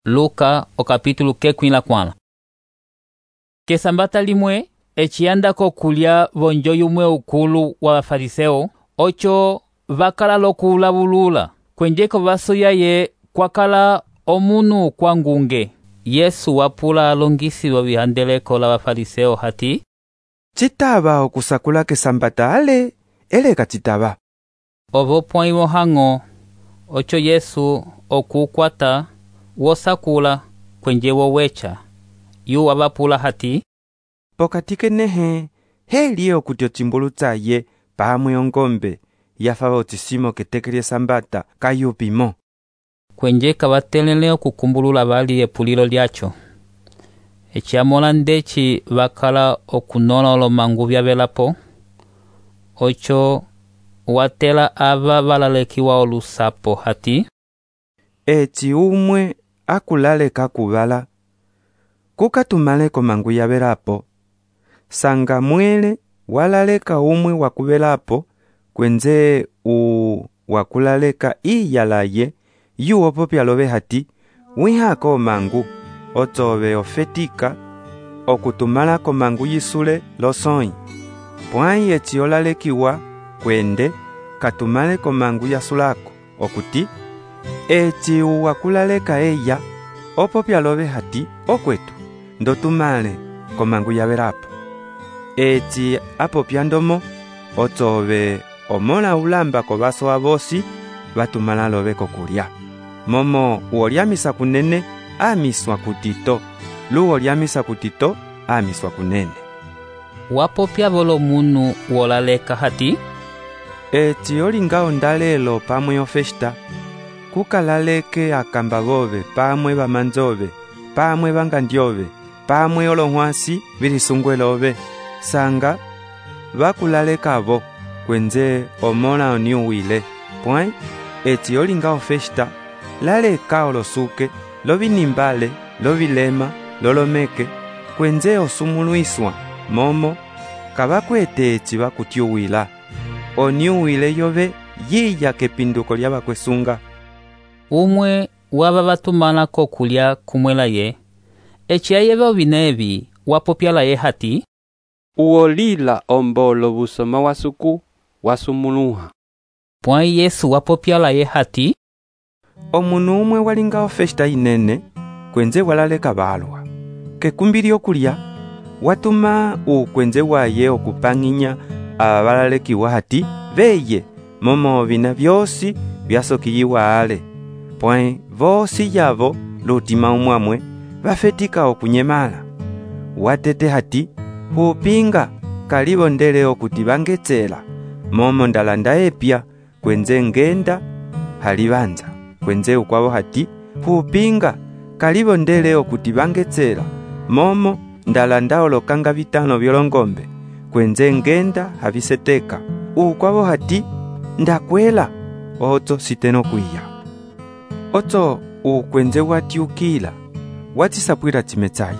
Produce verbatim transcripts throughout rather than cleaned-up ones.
Luka o capítulo kekwi la kwala. Kesambata limwe eciyandako kulya vonjo yumwe ukulu wa bafariseo ocho vakala lokulavulula kwenjeko vasoyaye kwakala omunu kwangunge. Yesu wapula alongisi wa vihandeleko la bafariseo hati citava okusakula kesambata ale eleka citava ovo pwaimo hango ocho Yesu okukwata wosakula kwenje wowecha yu wabapula hati pokati kenehe heli okuti ocimbulu tsaye pamwe ongombe yafava ocisimo keteke lye sambata kayupimo kwenje kavatelele okukumbulula bali epulilo lyacho eciamola ndeci vakala okunola olomangu vyavelapo ocho watela ava valalekiwa olusapo hati eci umwe akulaleka kuvala kukatumale komangu yavelapo sanga mwele walaleka umwe wakuvelapo kwenze u wakulaleka iyalaye yuwo popyalove hati wihako mangu otove ofetika okutumala komangu yisule losoi pwai eci olalekiwa kwende katumale komangu yasulako okuti eci wakulaleka eya opopyalove hati okwetu ndotumale komangu yavelapo eci apopyandomo otove omola ulamba ko vaso avosi vatumala love kokulya momo uolyamisa kunene amiswa kutito lu olyamisa kutito amiswa kunene wapopya volo munu wolaleka hati eci olinga ondalelo pamwe ofesta kukalaleke akamba vove pamwe vamanzove pamwe vangandyove pamwe olohwasi vilisungwelove sanga vakulalekavo kwenze omola oniuwile pwai eci olinga ofesta laleka olosuke lovinimbale lovilema lolomeke kwenze osumuluiswa momo kavakwete eci vakutyuwila oniuwile yove yiya kepinduko lya vakwesunga umwe wava vatumalako kulya kumwela ye eci ayeve ovinevi wapopyala ye hati uolila ombolo busoma wasuku wasumuluha pwai Yesu wapopyala ye hati omunu umwe walinga ofesta inene kwenze walaleka balwa kekumbili okulya watuma ukwenze waye okupang'inya aba balalekiwa hati veye momo vina vyosi vyasokiyiwa ale pwai vosi yavo lutima umwamwe vafetika okunyemala watete hati hupinga kalivondele okuti vangetsela momo ndalanda epya kwenze ngenda halivanza kwenze ukwavo hati hupinga kalivondele okuti vangetsela momo ndalanda olokanga vitano vyolongombe kwenze ngenda haviseteka ukwavo hati ndakwela oto siteno kwiya oto ukwenze watyukila watisapwila chimetsayi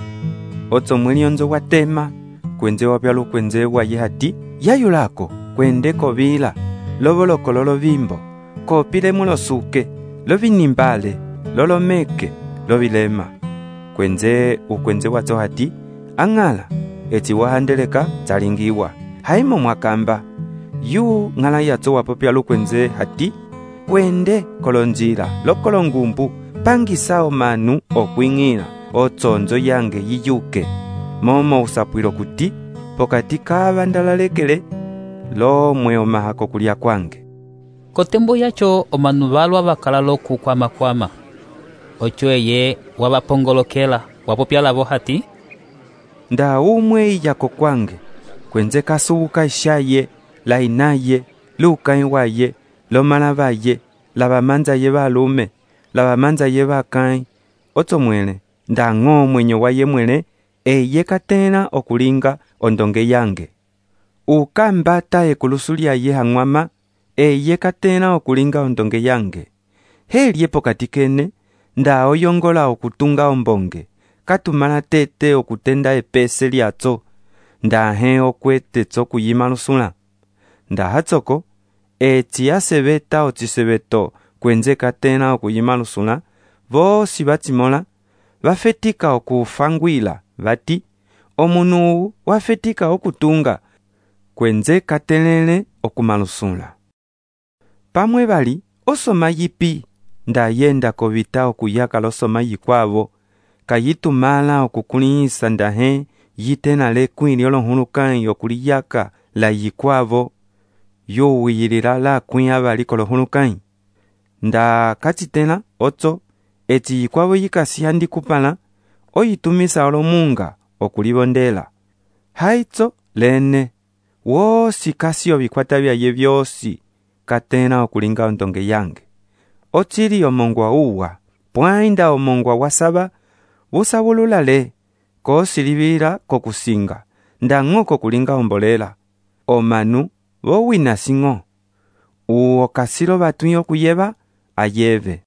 oto mwelionzo watema kwenze wapyalu kwenze waye hati yayulako kwende kovila lovoloko lolovimbo kopilemo losuke lovinimbale lolomeke lovilema kwenze ukwenze watso hati ang'ala eci wahandeleka tsalingiwa haimo mwakamba yu ng'ala yatso wapopyalu kwenze hati kwende kolonjila lokolongumbu pangisa omanu okwing'ila otsonzo yange yiyuke momo usapwilo kuti pokati kava ndalalekele lomwe omahako kulya kwange kotembo yacho omanu valwa vakala lokukwamakwama ocho eye wavapongolokela wapopyalavo hati nda umwe iyako kwange kwenze kasubuka ishaye lainaye lukai waye lomalavaye lavamanzaye valume lavamanzaye vakai otso mwele nda ng'o mwenyo waye mwele eye katena okulinga ondonge yange ukambata ekulusu lyaye hang'wama eye katena okulinga ondonge yange helye pokati kene nda oyongola okutunga ombonge katumala tete okutenda epese lyatso nda he okwete tso kuyima lusula nda hatsoko eci asebeta ocisebeto kwenze katena okuyima lusula vosi batimola vafetika okufangwila vati omunu wafetika okutunga kwenze katelele okumalusula. Pamwe bali osoma yipi nda yenda kovita okuyaka losoma yikwavo kayitumala okukulihisa ndahe yitena lekwili olohulukanyi okuliyaka la yikwavo yowiyilila la kwiya bali kolohulukanyi. Nda katitela otso eti yikwavo yikasiyandi kupala oyitumisa olomunga okulibondela. Haitso lene wosi kasio bikwata byaye byosi katena okulinga ondonge yange. Otili omongwa uwa pwainda omongwa wasaba busabululale kosilibira kokusinga ndango kokulinga ombolela omanu bowina singo uwo kasilo batuyo kuyeba ayeve.